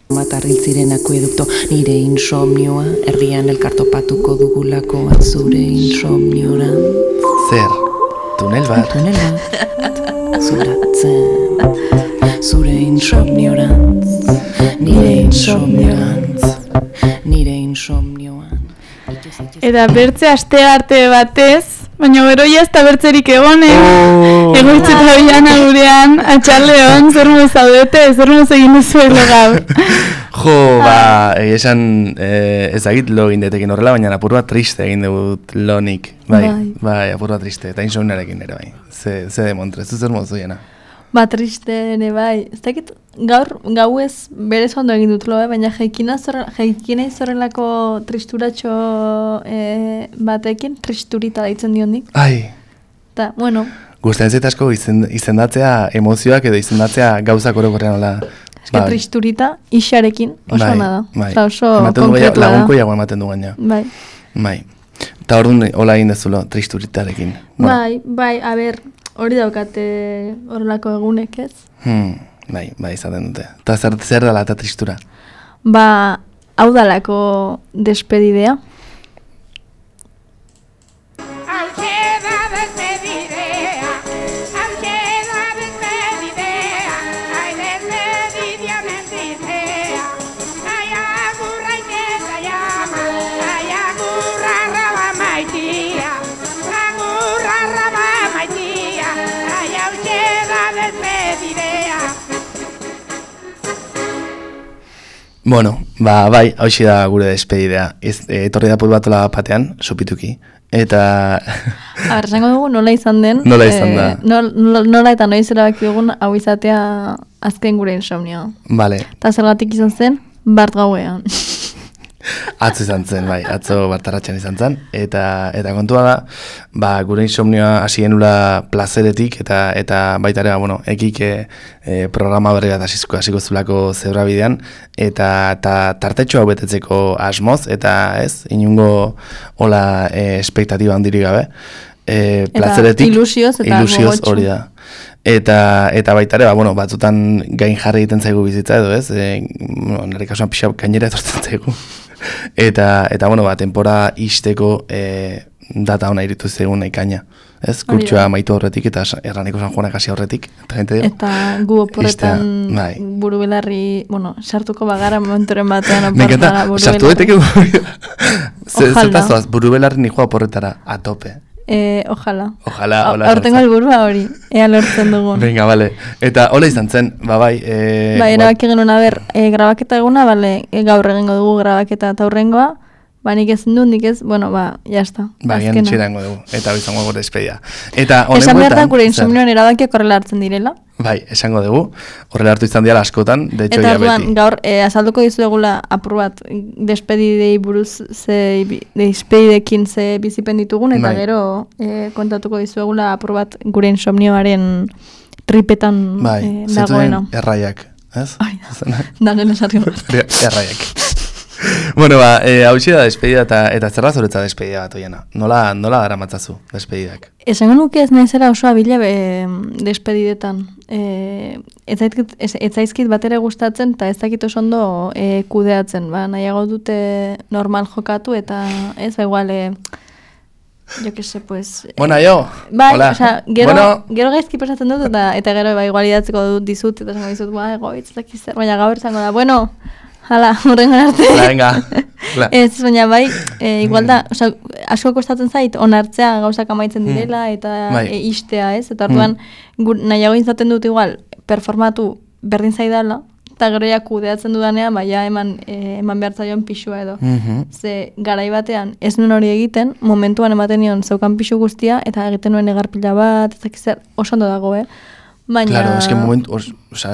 Matarril ziren akuedukto, nire insomnioa, herrian elkartopatuko dugulako zure insomniora. Zer, tunel bat? Tunel bat, zuratzen, zure insomniorantz, nire insomniorantz, nire insomnioan. Eta bertze aste arte batez, baina gero jazta bertzerik egonen, egoitzeta bilan gurean, atxaldeon, zer moz zaudete, zer moz egin duzuelo gaur. Jo, esan ezagit lo egin detekin horrela, baina apur bat triste egin dut lonik. Bai, apur bat triste, eta insomniarekin ere bai. Ze demontre, zer moz duena. Triste ere bai, ez dakit gau ez berez ondo egin dut lo, baina jaikina izorrelako tristuratxo batekin, tristurita daitzen diondik. Ai. Eta, bueno. Gustatzen zait asko izendatzea emozioak edo izendatzea gauzak orokorrean hola. Eske tristurita isarekin oso nada. Bai. Oso konkretua da. Lagunko jago ematen du gaina. Bai. Eta orduan hola egin dezulo tristuritarekin. Bai, a ber, hori daukate horrelako egunek ez? Bai, izaten dute. Eta zer dela eta tristura? Hau dalako despedidea. Bueno, bai, hauxe da gure despedidea. Etorri da pulbatola batean, sopituki. Eta... esango dugu nola izan den. Nola izan da. Nola eta noiz erabaki dugun hau izatea azken gure insomnio. Vale. Eta zergatik izan zen, bart gauean. Atzo izan zen, bai, atzo bartarratxan izan zen. Eta kontua da, gure insomnioa hasi genula plazeretik, eta baita ere, ekik programa berri bat hasiko zulako zebrabidean, eta tartetxo hau betetzeko asmoz, eta ez, inungo hola espektatiba handirik gabe. Plazeretik, ilusioz hori da. Eta baita ere, batzutan gain jarri egiten zaigu bizitza edo ez, nire kasuan pixau gainera etortzen zaigu. Eta tempora isteko data hona iritu zegoen ekaina. Ez, kurtsua maitu horretik eta erraneko San Juanak hasi horretik. Eta gu oporretan buru belarri, sartuko bagara momentoren batean oporretara buru belarri. Sartu daiteke zertazoaz, buru belarri nikoa oporretara, a tope. Ojalá. Hortengo helburua hori, ea lortzen dugun. Venga, vale. Eta hola izan zen, bai. Erabaki genuen, grabaketa eguna, gaur egingo dugu grabaketa eta aurrengoa, nik ez du, nik ez, jazta. Gian txirango dugu, eta hori zango gure despedia. Esan behar da, gure insomnioan erabakiak horrela hartzen direla. Bai, esango dugu, horrela hartu izan diala askotan, de hecho ya beti. Eta gaur, azalduko dizu egula apur bat, despedidei buruz, despedidekin ze bizipen ditugun, eta gero kontatuko dizu egula apur bat gure insomnioaren tripetan dagoena. Bai, erraiak, ez? Danen esarri bat. Erraiak. Bueno, hau da despedida eta zerra zuretza despedida bat oiena. Nola dara matzazu despedidak? Esango nuke ez nahizera oso abila despedidetan. Ez zaizkit bat ere gustatzen eta ez dakit oso ondo kudeatzen. Nahiago dute normal jokatu eta ez igual... Yo que sé, pues... Bueno, yo. Hola. Gero gaizki pasatzen dut eta gero igual idatzeko dut dizut eta zango dizut, egoitz, baina gaur zango da, bueno... Hala, horrengan arte. Venga. Ez, baina igual da, asko kostatzen zait, onartzea gauzak amaitzen direla, eta istea, ez? Eta orduan, nahiago izaten dut igual, performatu berdin zaidala, eta gero ja kudeatzen dudanean, eman behar zaion pixua edo. Ze, garai batean, ez nuen hori egiten, momentuan ematen nion zeukan pixu guztia, eta egiten nuen egarpila bat, ez oso ondo dago, Baina... Claro,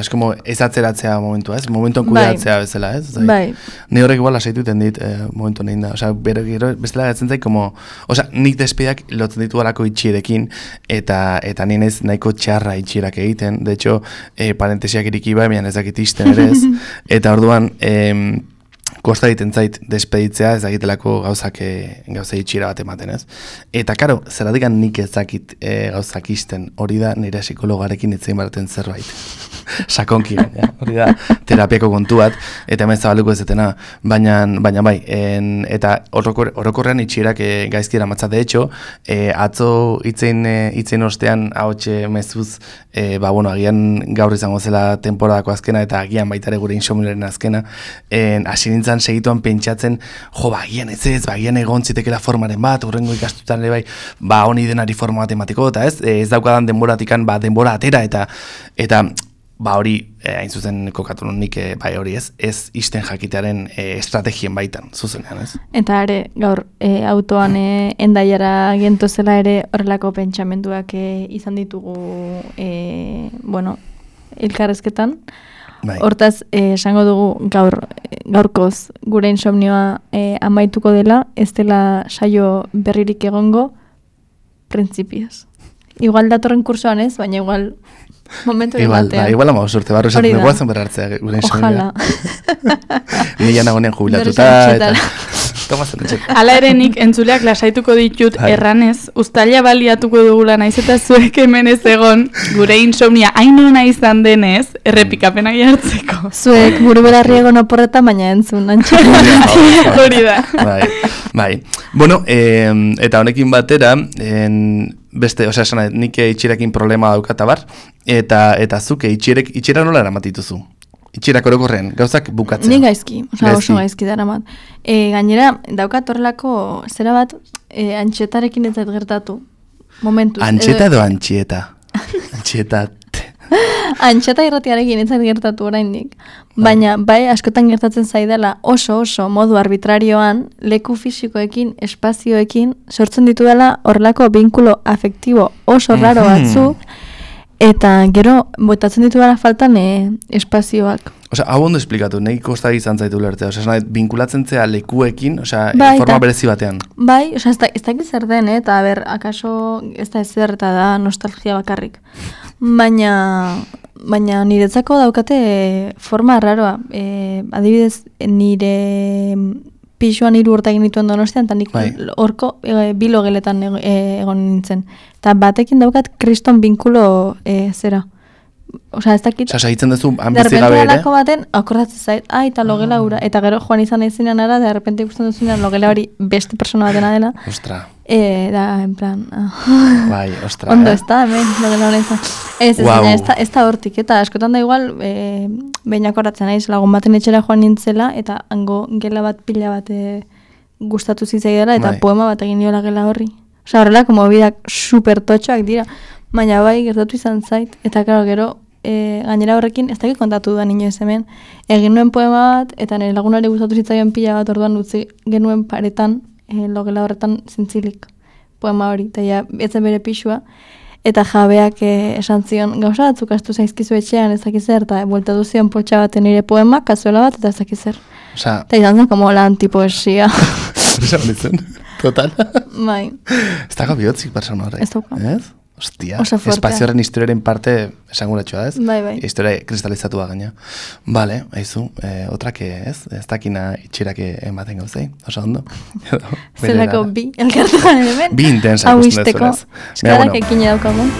es como ez atzeratzea momentua, ez? Momentuan kudeatzea bezala, ez? Bai. Ni horrek igual lasaituten dit momentu nein da. Gero bestela gatzen zait, nik despedidak lotzen ditu alako itxierekin, eta nien ez nahiko txarra itxierak egiten. De hecho, parentesiak iriki bai, mian ez dakit isten ere ez. Eta orduan, kosta egiten zait despeditzea, ez dakitelako gauza itxira bat ematen, ez? Eta, karo, zeradikan nik ez dakit gauzak isten, hori da nire psikologarekin itzein baraten zerbait. Sakonki, hori da terapiako kontu bat, eta hemen zabaluko ez detena, baina bai, eta orokorrean itxierak gaizki eramatza, de hecho, atzo itzein ostean ahotxe mezuz, agian gaur izango zela temporadako azkena, eta agian baitare gure insomnioaren azkena, hasi nintzen segituan pentsatzen, agian agian egon zitekela formaren bat, urrengo ikastutan ere bai, honi denari forma bat emateko, eta ez daukadan denboratikan, denbora atera, eta hori, hain zuzen kokatu nik, hori ez isten jakitearen estrategien baitan, zuzenean, ez? Eta ere, gaur, autoan endaiara gentozela ere horrelako pentsamenduak izan ditugu, elkarrezketan. Hortaz, esango dugu gaurkoz gure insomnioa amaituko dela, ez dela saio berririk egongo, printzipioz. Igual datorren kursoan ez, baina igual momentu batean. Igual ama osorte barro esaten dugu azen berrartzea gure insomnioa. Ojalá. Nila nagonean jubilatuta. Hala ere nik entzuleak lasaituko ditut erranez, uztaila baliatuko dugula naiz eta zuek hemen ez egon gure insomnia hainona izan denez, errepikapenak jartzeko. Zuek buru belarri egon oporretan, baina entzun, antxetan. Hori da. Bai. Bueno, eta honekin batera, beste, nik itxirekin problema daukata bar, eta zuke itxira nola eramatituzu? Itxirak orokorrean, gauzak bukatzen. Ni gaizki, oso gaizki dara mat. Gainera, daukat horrelako zera bat, antxetarekin ez zait gertatu. Momentuz. Antxeta edo antxieta? Antxieta. Antxeta irratiarekin ez zait gertatu oraindik. Baina, askotan gertatzen zaidala oso modu arbitrarioan, leku fisikoekin, espazioekin, sortzen ditu dela horrelako binkulo afektibo oso raro batzuk, eta gero, botatzen ditu gara faltan espazioak. Hau ondo esplikatu, nahi kosta izan zaitu lertea. Binkulatzen zea lekuekin, forma berezi batean. Bai, ez dakit zer den, eta akaso ez da ezer eta da nostalgia bakarrik. Baina niretzako daukate forma raroa. Adibidez, nire pixuan 3 urte egin dituen Donostian, eta nik horko bilogeletan egon nintzen. Eta batekin daukat kriston binkulo zera. Ez dakit. Segitzen duzu, hanbizi gabe ere? Derrepente baten, akordatzen zait, eta logela ura. Eta gero joan izan ezinean ara, derrepente ikusten duzunean logela hori beste persona batena dela. Ostra. Da, en plan... Bai, ostra. Ondo, ez da, hemen, logela hori izan. Ez da hortik, eta askotan da igual, behin akordatzen naiz, lagun baten etxera joan nintzela, eta hango gela bat pila bat gustatu zitzaidela, eta poema bat egin diola gela horri. Horrelako mobidak super totxoak dira. Baina bai, gertatu izan zait, eta gero, gainera horrekin, ez dakit kontatu da inoiz hemen, egin nuen poema bat, eta nire lagunari gustatu zitzaion pila bat orduan utzi genuen paretan, logela horretan zintzilik poema hori, eta ja, etzen bere pixua, eta jabeak esan zion, gauza batzuk astu zaizkizu etxean ez dakiz zer, eta buelta duzion poltsa baten nire poema, kazuela bat, eta ez dakiz zer. Eta izan zen, como la antipoesia. Esan ditzen, total. Bai. Ez dago bihotzik persona horrek. Ez dauka. Ez? Ostia, espazioaren historiaren parte esanguratxoa, ez? Bai. Historia kristalizatu da gaina. Bale, haizu, otrake, ez? Ez dakina itxirake ematen gauzei, oso ondo. Zelako bi, elkartuan hemen. Bi intensa ikusten dezunez. Eskadak ekin daukagun.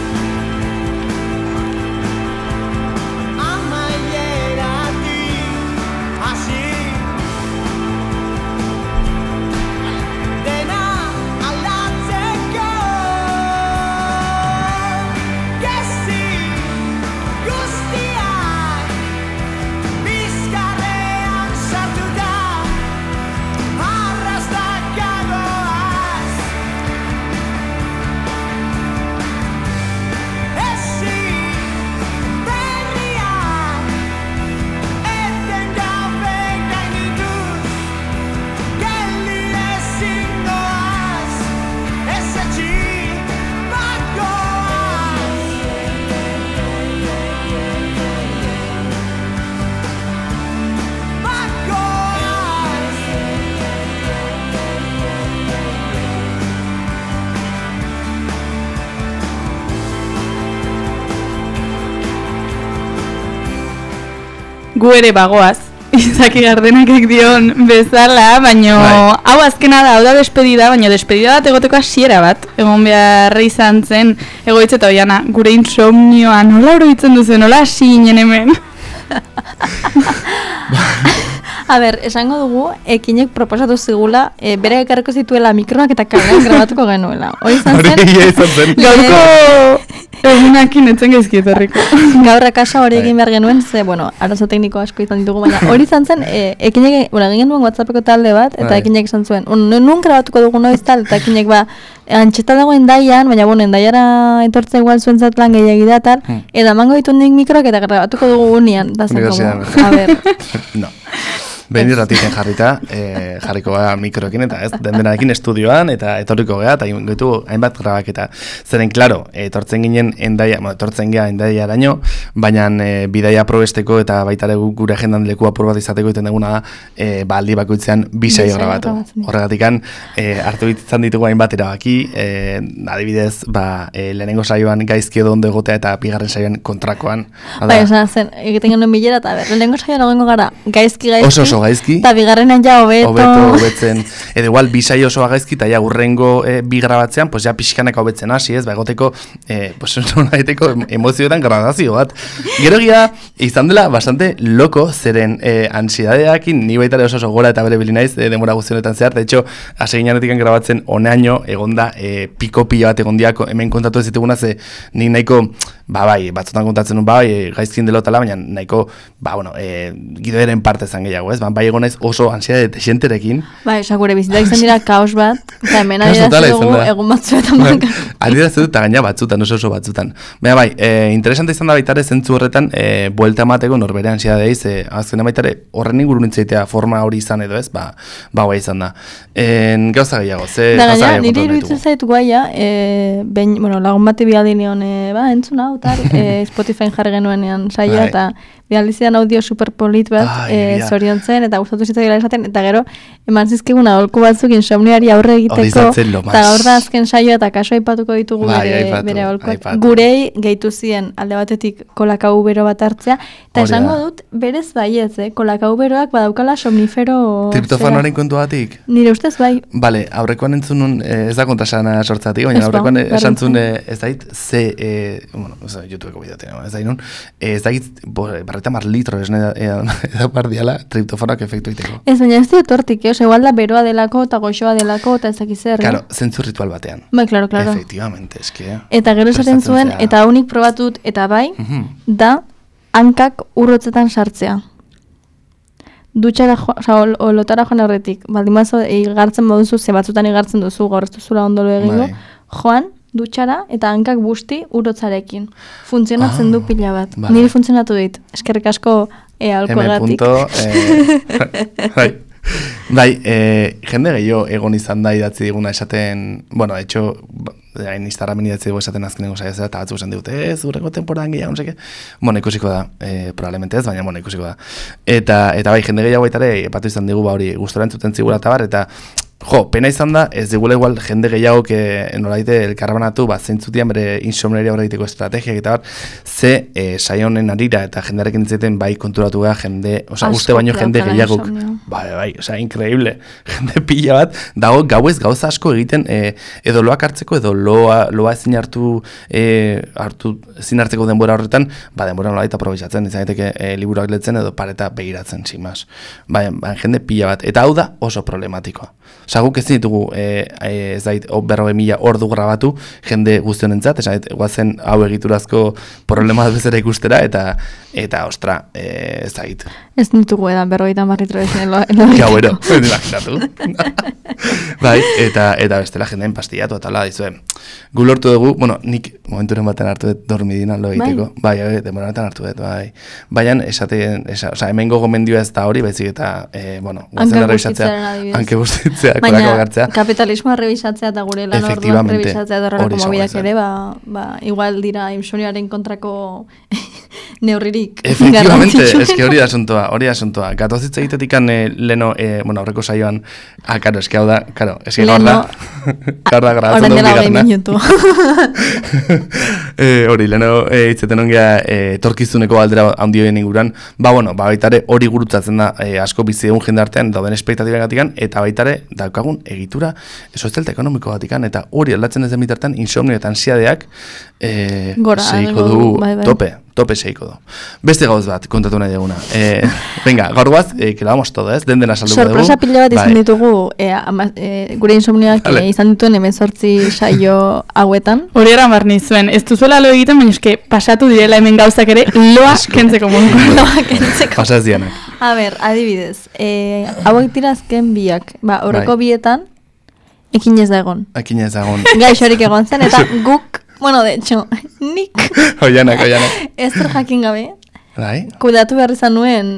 Gu ere bagoaz, Izaki Gardenakek dion bezala, baino hau azkena da, hau da despedida, baino despedida bat egoteko hasiera bat, egon beharra izan zen, egoitz eta oiana, gure insomnioa, nola oroitzen duzu, nola hasi ginen hemen? A ber, esango dugu, ekinek proposatu zigula, bere ekarriko zituela mikroak eta kalean grabatuko genuela. Hori izan zen? Gaurko egunakin etzen gaizkietarriko. Gaur akasa hori egin behar genuen, ze, bueno, arazo tekniko asko izan ditugu, baina hori izan zen, ekinek, egin genuen WhatsAppeko talde bat, eta ekinek izan zuen, nun grabatuko dugu noiz tal, eta ekinek antxeta dago endaian, baina endaiara etortza igual zuen zatlan gehiagi da tal, eta mango ditu nik mikroak eta grabatuko dugu unian, da zen como, a ber. No. Behin irratiken jarriko gara mikroekin eta ez, dendenarekin estudioan eta etorriko gara eta gaitu hainbat grabaketa. Zeren, klaro, etortzen ginen endaiaraino, baina bidaia probesteko eta baitare gure agendan leku apur bat izateko iten duguna da aldi bakoitzean bisaio grabatu. Horregatikan, hartu bitzen ditugu hainbat erabaki, adibidez, lehenengo saioan gaizki edo ondo egotea eta bigarren saioan kontrakoan. Bai, esan zen, egiten genuen bilera eta lehenengo saioan egongo gara gaizki, oso gaizki. Eta bigarrenan ja hobetzen. Edo igual, bisai osoa gaizki, eta ja urrengo bi grabatzean, pues ja pixkanak hobetzen hasi, ez, egoteko, pues nolaiteko emozioetan gradazio bat. Gero gira, izan dela bastante loko, zeren ansidadeakin, ni baitare oso gora eta bere bilinaiz, demora guztionetan zehar, de hecho, aseginanetik grabatzen oneaino, egonda, piko pila bat egondiak, hemen kontatu ez dituguna, ze nik nahiko, batzutan kontatzen nun, gaizkin delotala, baina nahiko, gidoeren parte zan gehiago, ez? Bai egon naiz oso ansiedade desienterekin. Osa gure bizitak izan dira kaos bat, eta hemen adierazte dugu egun batzuetan banka. Adierazte dut, eta gaina batzutan, oso batzutan. Baina interesante izan da baitare zentzu horretan, buelta emateko norbere ansiedadeiz, azkena baitare horren ingurun itzaitea forma hori izan edo ez, guai izan da. Gauza gehiago, ze gauza gehiago kontu nahi nire iruditzen zaitu guaia, lagun bati bialdinean, entzuna, Spotify jarri genuenean saia, eta bialdizidan audio superpolit bat zorion zen, eta gustatu zitzaiela esaten, eta gero, eman zizkigun aholku batzuk insomniari aurre egiteko, eta gaur da azken saioa eta kaso aipatuko ditugu bere aholkuak. Gurei gehitu ziren alde batetik kolakau bero bat hartzea, eta esango dut, berez baietz, kolakau beroak badaukala somnifero... Triptofanoaren kontu batik? Nire ustez bai. Bale, aurrekoan entzunun, ez da kontrasana sortzatik, baina aurrekoan esantzun ez dait, YouTubeko bideoten, ez dait, eta litro esne edo pardiala triptofanoak efektu iteko. Ez, baina ez dut hortik, igual da beroa delako eta goxoa delako eta ezak izan. Claro, zentzu ritual batean. Bai, claro. Efectivamente, eske. Eta gero esaten zuen, eta unik probatut, eta bai, da hankak urrotzetan sartzea. Dutxara, lotara joan horretik, baldimazo, igartzen moduzu, ze batzutan igartzen duzu, gaur ez duzula ondolo egingo, joan, dutxara eta hankak busti urotzarekin. Funtzionatzen du pila bat. Niri funtzionatu dit. Eskerrik asko alkoagatik. Jende gehiago egon izan da idatzi diguna esaten, hecho, Instagramen idatzi dugu esaten azkenengo saia eta batzu esan digute, urrengo temporadan gehiago, noseke. Ikusiko da, probablemente ez, baina ikusiko da. Eta bai, jende gehiago baitare, epatu izan digu, hori gustora entzuten zigula eta bar, eta pena izan da, ez digula igual jende gehiago nolaite elkarbanatu, zeintzutian bere insomneria horre egiteko estrategiak eta bar, ze saio honen arira eta jendearekin ditzeten bai konturatu gara jende, uste baino jende gehiagok. Bai, increíble. Jende pila bat, dago gauez gauza asko egiten edo loak hartzeko edo loa ezin ezin hartzeko denbora horretan, denbora nolaita aprobetxatzen, izan daiteke liburuak letzen edo pareta begiratzen, sin más. Bai, jende pila bat. Eta hau da oso problematikoa. Guk ez ditugu, ez dait, 40.000 ordu grabatu, jende guztionentzat, esan dut, guazen hau egiturazko problema bezera ikustera, eta ostra, ez dait. Ez ditugu edan, 50 litro ezen Gauero, imaginatu. Bai, eta bestela jendeen pastillatu, eta la, dizue, gu lortu dugu, nik momenturen baten hartu dut dormidina lo egiteko, bai, demoranetan hartu dut, bai. Baina, hemengo gomendioa ez da hori, baizik eta, guazen errebisatzea, hanke bustitzea, kolako agartzea. Kapitalismoa rebisatzea eta gure lan orduan rebisatzea eta horrelako mobidak ere, igual dira insomnioaren kontrako neurririk. Efectivamente, eske hori da asuntoa. Gatozitza egitetikan leno, aurreko saioan, karo, eske hau da, karo, eske gaur da grabatzen dugu bigarna. Hori, leheno hitzeten ongea etorkizuneko aldera handioen inguran, baitare hori gurutzatzen da asko bizi egun jendartean dauden espektatibagatikan, eta baitare daukagun egitura sozial eta ekonomiko batikan, eta hori aldatzen ez den bitartean insomnio eta ansiadeak seiko du tope seiko du. Beste gauz bat, kontatu nahi duguna. Venga, gaur guaz, que lo vamos todo, ez? Dena salduko dugu. Sorpresa pila bat izan ditugu, gure insomnioak izan dituen 18 saio hauetan. Hori eraman nizuen, ez duzuela lo egiten, baina eske pasatu direla hemen gauzak ere loa kentzeko modu. Loa kentzeko. Pasaz dianak. A ber, adibidez, hauek dira azken biak, horreko bietan, ekinez da egon. Ekinez da egon. Gaixorik egon zen, eta guk, bueno, de hecho, nik. Oianak. Ezer jakin gabe. Bai. Kudatu behar izan nuen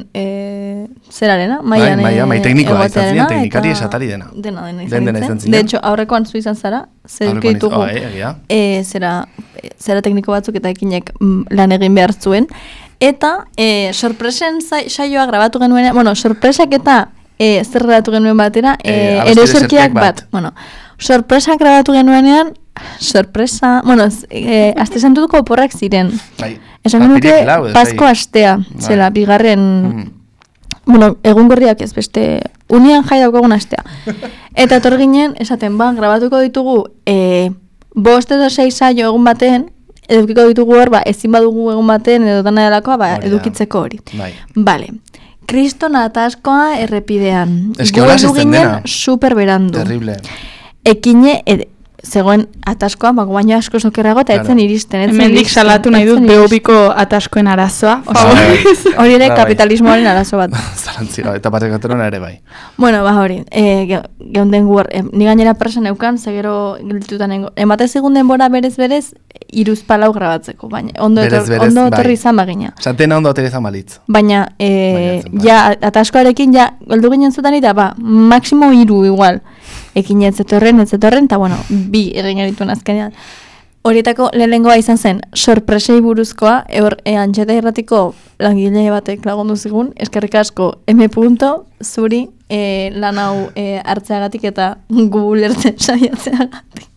zerarena, maian mai teknikoa izan ziren, teknikari esatari dena. Dena izan ziren. De hecho, aurrekoan zu izan zara, zer ditugu zera tekniko batzuk eta ekinek lan egin behar zuen. Eta sorpresen saioa grabatu genuen, sorpresak eta zer grabatu genuen batera, eroserkiak bat. Sorpresak grabatu genuenean, sorpresa, aste santutuko oporrak ziren. Esan genuke, Pasko astea, zela, bigarren, egun gorriak ez, beste, unian jai daukagun astea. Eta etor ginen, esaten, grabatuko ditugu, 5 edo 6 saio egun baten, edukiko ditugu hor, ezin badugu egun baten, edo dana delakoa, edukitzeko hori. Vale. Kriston ataskoa errepidean. Gu edu ginen super berandu. Terrible. Ekine, zegoen ataskoa, baina asko sokerrago eta etzen iristen. Hemendik salatu nahi dut behobiko ataskoen arazoa. Hori ere kapitalismoaren arazo bat. Zalantzira, eta batekaterona ere bai. Hori, geunden guar, ni gainera presen eukan, zegero giltutan emate segun denbora berez, 3-4 grabatzeko, baina ondo etorri izan bagina. Santena ondo etorri izan balitz. Baina, ataskoarekin, goldu ginen zutan eta, maksimo 3 igual. Ekin etzetorren, eta 2 egin erituen azkenean. Horietako lehenengoa izan zen, sorpresei buruzkoa, Antxeta Irratiko langile batek lagundu zigun, eskerrik asko M. zuri lan hau hartzeagatik eta gu lertzen saiatzeagatik.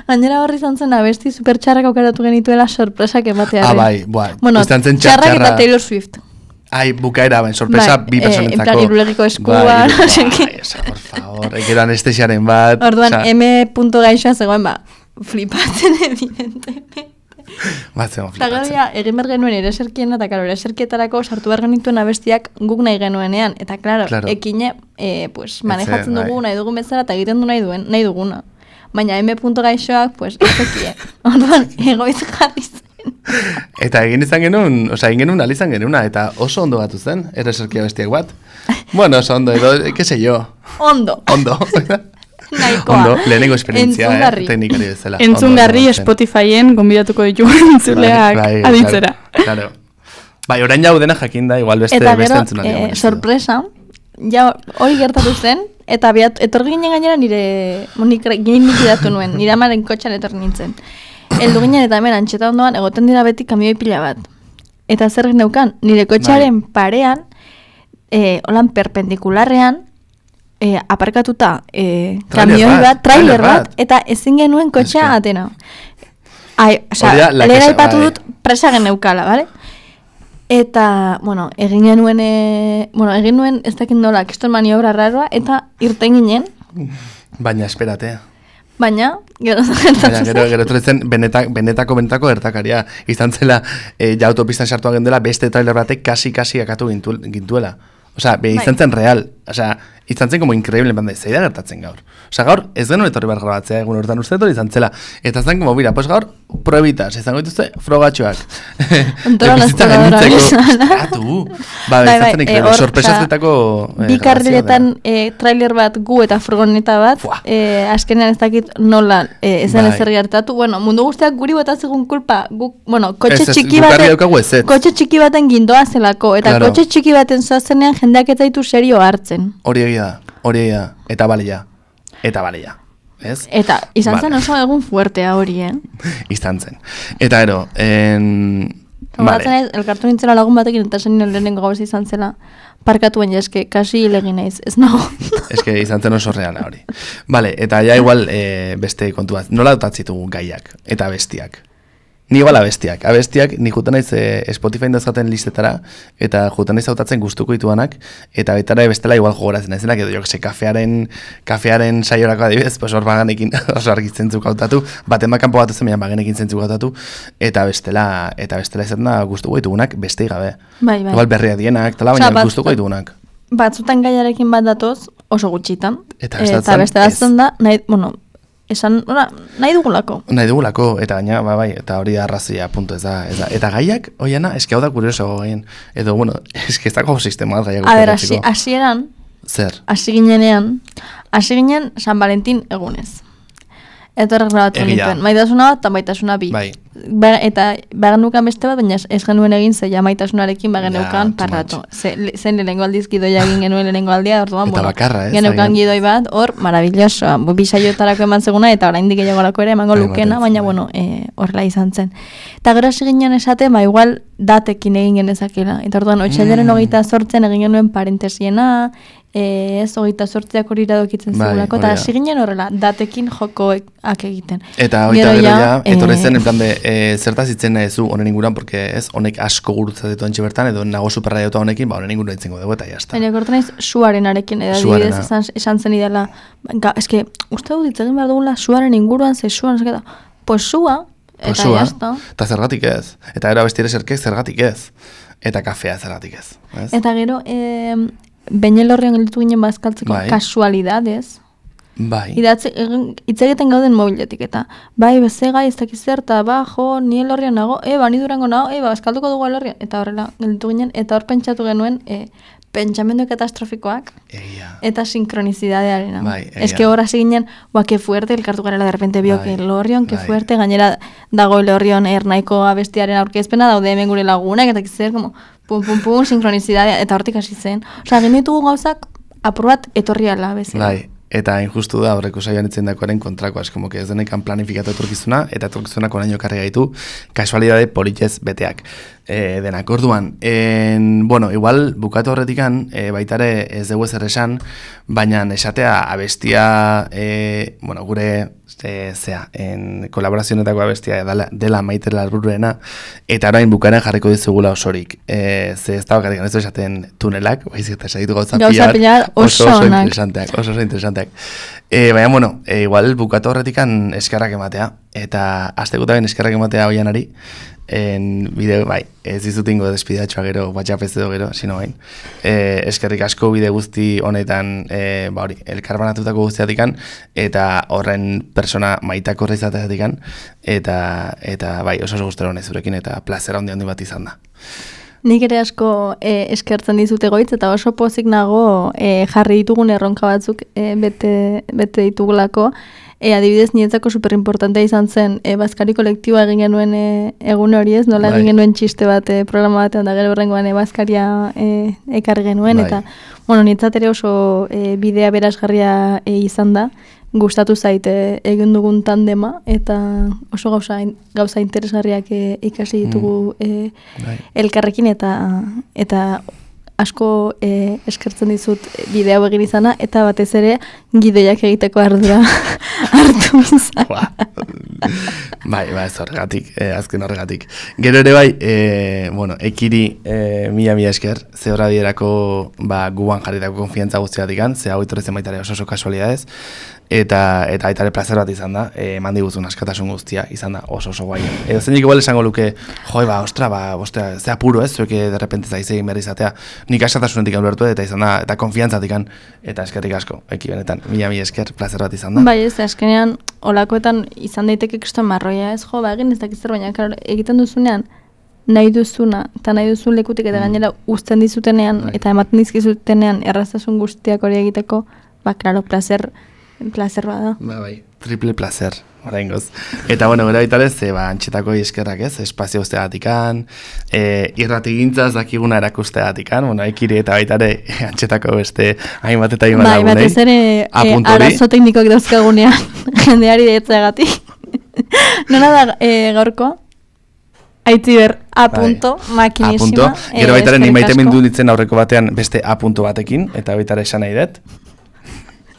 Gainera horri izan zen abesti supertxarrak aukeratu genituela sorpresak ematearen. Txarrak eta Taylor Swift. Bukaera, sorpresa bi personentzako. En plan, irulegiko eskua, por favor, ekero anestesiaren bat. Orduan, M. gaixoa zegoen, flipatzen evidentemente. Batzen flipatzen. Eta egin behar genuen ereserkiena, eta karo, ereserkietarako sartu behar genituen abestiak guk nahi genuenean. Eta klaro, ekine, manejatzen dugu nahi dugun bezala, eta egiten du nahi duguna. Baina M. gaixoak, ez ekie. Orduan, egoiz jarri zen. Eta egin genuen alizan genuna, eta oso ondo batu zen, ereserkia bestiak bat. Oso ondo, edo, que se yo. Ondo. Naikoa. Ondo, lehenengo esperientzia, teknikari bezala. Entzungarri Spotifyen gonbidatuko ditugu entzuleak aditzera. Claro. Orain jau dena jakinda, igual beste entzunari. Eta gero, sorpresa, hori gertatu zen, eta etor ginen gainera nik idatu nuen, nire amaren kotxan etor nintzen. Eldu ginen eta hemen Antxeta ondoan egoten dira beti kamioi pila bat. Eta zer neukan, nire kotxaren parean, holan perpendikularrean, aparkatuta trailer bat, eta ezin genuen kotxea atena. Lera ipatu dut presa geneukala, bale? Eta, egin nuen ez dakit nola, kiston maniobra raroa, eta irten ginen. Baina, esperatea. Baina, gero etorretzen benetako ertakaria. Izan zela, autopistan sartua gendela, beste trailer batek kasi akatu gintuela. Izan zen real. Izan zen como increíble, zeida gertatzen gaur. Gaur, ez genuen etorri behar grabatzea, egun horretan uste etorri izan zela. Eta zen como, mira, gaur, proebitas, izango dituzte, frogatxoak. Ontoran azteladora bizala. Izan zen increíble, sorpresazetako... Bi karriletan trailer bat gu eta furgoneta bat, azkenean ez dakit nola ezen ezer gertatu. Mundu guztiak guri botazegun kulpa, kotxe txiki baten gindoa zelako, eta kotxe txiki baten zoazenean jendeak ez zaitu serio hartzen. Hori egia da, eta balia, ez? Eta izan zen oso egun fuertea hori, Izan zen. Eta ero, elkartu nintzela lagun batekin, eta zen lehenengo gauz izan zela, parkatuen jaske, kasi hilegin naiz, ez nago. Eske izan zen oso reala hori. Eta ja igual beste kontu bat, nola dotatzitugu gaiak eta bestiak? Ni igual abestiak ni juten naiz Spotify dauzkaten listetara, eta juten naiz hautatzen gustuko dituanak, eta betara bestela igual jogoratzen naizenak, edo jokse kafearen saiorako adibidez, pues hor Baganekin oso argitzen zuk hautatu, baten bakanpo bat ezen Baganekin zentzuk hautatu, eta bestela izaten da gustuko ditugunak bestei gabe. Bai. Igual berria dienak, tala, baina gustuko ditugunak. Batzutan gaiarekin bat datoz, oso gutxitan. Eta beste batzen da, nahi dugulako. Nahi dugulako, eta gaina, bai, eta hori da arrazia, punto, ez da. Eta gaiak, oiana, eski hau da kurioso gaien. Edo, bueno, eski ez dago sistema gaiak. A ber, hasieran, zer? Hasi ginen San Valentin egunez. Eta horrek grabatu nituen. Maitasuna bat eta maitasuna bi. Bai. Eta bagenukan beste bat, baina ez genuen egin zeia maitasunarekin bagenukan parratu. Zen lehenengo aldiz gidoia egin genuen lehenengo aldia, orduan, eta bakarra, geneukan gidoi bat, hor, maravilloso. Bisaiotarako eman zeguna, eta oraindik gehiagorako ere emango lukena, baina, bueno, horrela izan zen. Eta gero hasi ginen esate, igual datekin egin genezakela. Eta orduan, otsailaren 28 egin genuen parentesiena, ez 28ak hori iradokitzen zigulako, eta hasi ginen horrela, datekin jokoak egiten. Eta hori ja, etorri zen, en plan de, zertaz itzen zu honen inguran, porque ez, honek asko gurutzatetu antxe bertan, edo nago superraia eta honekin, honen inguran itzengo dugu, eta jazta. Baina gortu naiz, suaren arekin, edadibidez esan zen idala, eske, uste dut ditzegin behar dugula, suaren inguruan, ze suan, pues sua, eta jazta. Eta zergatik ez, eta gero abestire zerkek zergatik ez, eta kafea zergatik ez. Eta gero, Beñelorrian gelditu ginen bazkaltzeko kasualidadez. Bai. Hitz egiten gauden mobiletik eta bai, bezega, ez dakiz zer, eta ni elorrian nago, ni Durango nago, bazkalduko dugu elorrian. Eta horrela gelditu ginen, eta hor pentsatu genuen pentsamendu katastrofikoak eta sinkronicidadearena. Bai, que hor hasi ginen, que fuerte, elkartu garela de repente biok elorrion, que fuerte, gainera dago elorrion ernaiko abestiaren aurkezpena, daude hemen gure lagunak, eta kizer, como pum, sinkronizidadea, eta hortik hasi zen. Osa, genitugu gauzak, aprobat etorriala bezala. Bai, eta injustu da horreko saioan itzen dakoaren kontrakoa, como que ez denekan planifikatu etorkizuna, eta etorkizunak oraino karri gaitu, kasualidade politez beteak. Denak, orduan, bueno, igual bukatu horretikan, baitare ez dugu ezer esan, baina esatea abestia, bueno, gure kolaborazionetako abestia dela Maite Larruruena, eta orain bukaren jarriko dizugula osorik. Ze ez da bakarrik, ez du esaten tunelak, baizik eta esaditu gauza pilar, oso interesanteak. Baina, bueno, igual bukatu horretikan eskerrak ematea, eta aztekutaben eskerrak ematea hoianari, bideo, bai, ez dizutingo despidatxoa gero, WhatsApp ez edo gero, sino bain. Eskerrik asko bide guzti honetan, hori, elkarbanatutako guztiatikan, eta horren persona maitako horreizateatikan, eta bai, oso guztero honez zurekin, eta plazera handi bat izan da. Nik ere asko eskertzen dizute goitz, eta oso pozik nago jarri ditugun erronka batzuk bete ditugulako. Adibidez, nietzako superimportantea izan zen, bazkari kolektiboa egin genuen egun hori ez, nola egin genuen txiste bat programa batean, da gero horrengoan bazkaria ekarri genuen, eta, bueno, nietzat ere oso bidea berazgarria izan da, gustatu zaite egin dugun tandema, eta oso gauza interesgarriak ikasi ditugu elkarrekin, eta asko eskertzen dizut bidea hau egin izana, eta batez ere gidoiak egiteko ardura hartu izan. Bai, ez horregatik, azken horregatik. Gero ere bai, bueno, ekiri mila esker, ze horra bierako guan jarritako konfiantza guztiatik ze hau itorrezen baitare oso kasualidadez, eta aitare plazer bat izan da, eman diguzun askatasun guztia izan da oso guai. Edo zenik igual esango luke, ostra, ze apuro ez, zueke derrepente zaizegin berri izatea, nik askatasunetik ulertu eta izan da, eta konfiantzatik eta eskerrik asko, benetan, mila esker, plazer bat izan da. Bai ez, azkenean, olakoetan izan daiteke kriston marroia ez, egin ez dakizzer, baina egiten duzunean, nahi duzuna, eta nahi duzun lekutik eta gainera uzten dizutenean, eta ematen dizkizutenean erraztasun guztiak hori egiteko, klaro, plazer bada. Bai, triple placer, oraingoz. Eta bueno, gero baitare, antxetako eskerrak ez, espazio guztiagatikan, irratigintzaz dakiguna erakusteagatikan, bueno, ekiri eta baitare antxetako beste hainbat eta hainbat lagunei. Bai, batez ere arazo teknikoak dauzkagunean jendeari deitzeagatik. Nona da gaurko? Aitziber, A.makinisima. Gero baitare, ni maite mindu ditzen aurreko batean beste A. batekin, eta baitare esan nahi dut.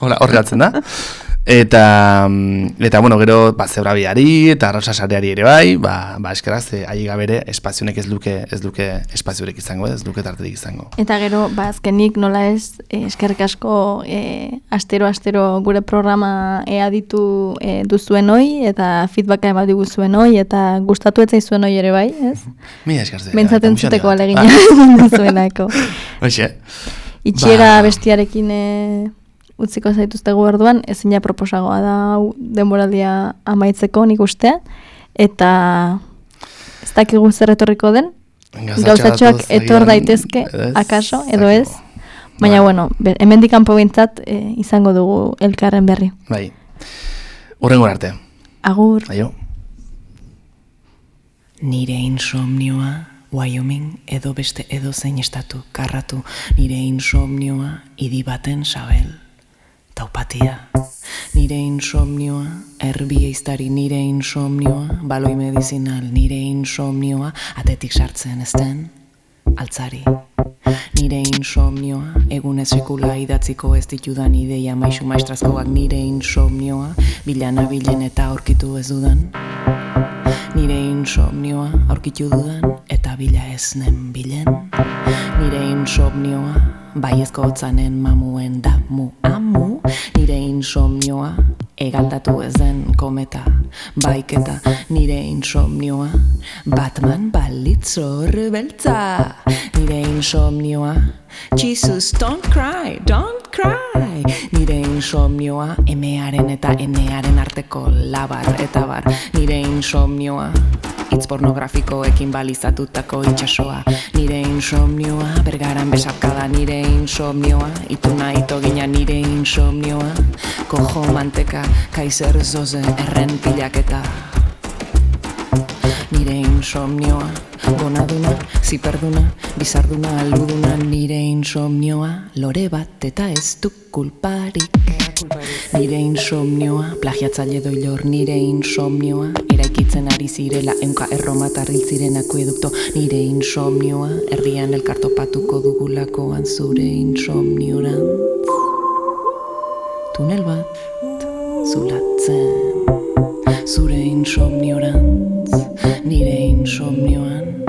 Horre galtzen da. Eta bueno, gero, zebrabiari eta arrosa sareari ere bai, eskeraz, ahi gabere, espazionek ez luke espaziorik izango, ez luke tarterik izango. Eta gero, azkenik nola ez, eskerrik asko astero gure programa aditu duzuen hoi, eta feedbacka eman diguzuen hoi, eta gustatu etzai zuen hoi ere bai, ez? Mila eskarze. Bentzaten zuteko alegina duzuenako. Hoxe. Itxiera bestiarekin utziko zaituztegu orduan, ezin ja proposagoa da denboraldia amaitzeko nik ustea, eta ez dakigu zer etorriko den, gauzatxoak etor daitezke, akaso, edo ez, baina bueno, hemendik kanpo behintzat izango dugu elkarren berri. Bai, hurrengo arte. Agur. Aio. Nire insomnioa, Wyoming edo beste edo zein estatu karratu, nire insomnioa, idi baten sabel. Taupatia, nire insomnioa, erbi eiztari nire insomnioa, baloi medizinal nire insomnioa, atetik sartzen ezten, altzari. Nire insomnioa, egunez sekula idatziko ez ditudan ideia maisu maestrazkoak nire insomnioa, bilana bilen eta aurkitu ez dudan. Nire insomnioa, aurkitu dudan eta bila ez nen bilen. Nire insomnioa, baiezko hotzanen mamuen damu amu. Nire insomnioa, egaldatu ez den kometa, baiketa. Nire insomnioa, Batman balitzor beltza. Nire insomnioa, Jesus, don't cry, don't cry. Nire insomnioa, emearen eta enearen arteko labar eta bar. Nire insomnioa, hitz pornografikoekin balizatutako itxasoa. Nire insomnioa, bergaran besarkada. Nire insomnioa, ituna itogina. Nire insomnioa, kojo manteka, kaiser zoze, erren pilaketa. Nire insomnioa, gonaduna, ziperduna, bizarduna, albuduna. Nire insomnioa, lore bat eta ez du kulparik. Nire insomnioa, plagiatzaile doilor. Nire insomnioa, eraikitzen ari zirela eunka erromatarril ziren akuedukto. Nire insomnioa, herrian elkartopatuko dugulakoan zure insomniorantz. Tunel bat zulatzen, zure insomniorantz. Nire insomnioan,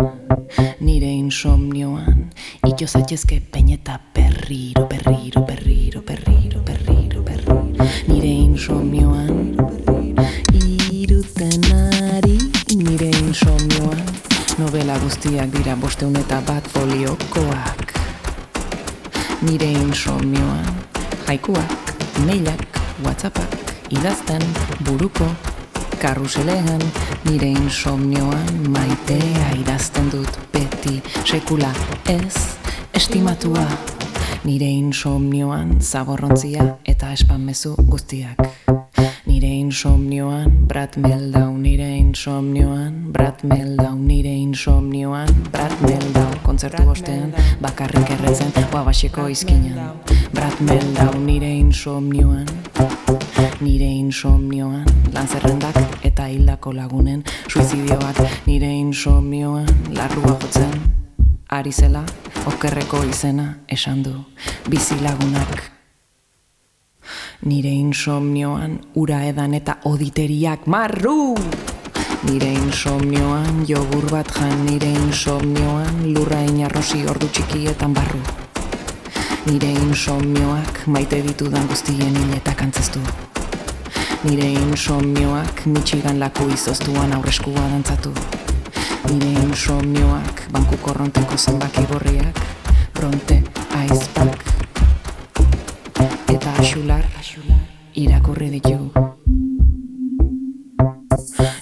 nire insomnioan, ito zaitezke peñeta berriro, berriro, berriro, berriro, berriro, berriro. Nire insomnioan, iruten ari, nire insomnioan, novela guztiak dira 501 foliokoak. Nire insomnioan, haikuak, mailak, whatsappak, idazten, buruko, karruselean. Nire insomnioan, maitea idazten dut beti, sekula ez estimatua. Nire insomnioan, zaborrontzia eta espanmezu guztiak. Nire insomnioan, Brad Meldau. Nire insomnioan, Brad Meldau. Nire insomnioan, Brad Meldau. Kontzertu ostean, bakarrik erretzen, guabaseko izkinan. Brad Meldau. Nire insomnioan, nire insomnioan, lanzerrendak eta hildako lagunen suizidioak. Nire insomnioan, larrua jotzen, ari zela, okerreko izena esan du bizilagunak. Nire insomnioan, ura edan eta oditeriak marru. Nire insomnioan, jogur bat jan. Nire insomnioan, lurra inarrosi ordu txikietan barru. Nire insomnioak, maite ditudan guztien hiletak antzeztu. Nire insomnioak, Michigan laku izoztuan aurreskua dantzatu. Nire insomnioak, banku korronteko zenbaki gorriak, bronte, aizpak eta axular irakurri ditu.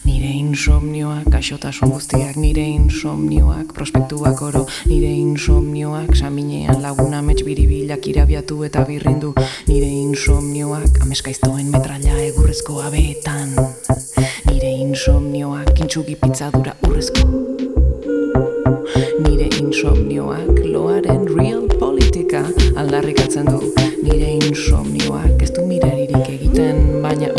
Nire insomnioak, gaixotasun guztiak. Nire insomnioak, prospektuak oro. Nire insomnioak, saminean laguna mets biribilak irabiatu eta birrindu. Nire insomnioak, ameskaiztoen metralla egurrezko abeetan. Nire insomnioak, intsugi pitzadura urrezko. Nire insomnioak, loaren real politika aldarrikatzen du. Nire insomnioak, ez du miraririk egiten, baina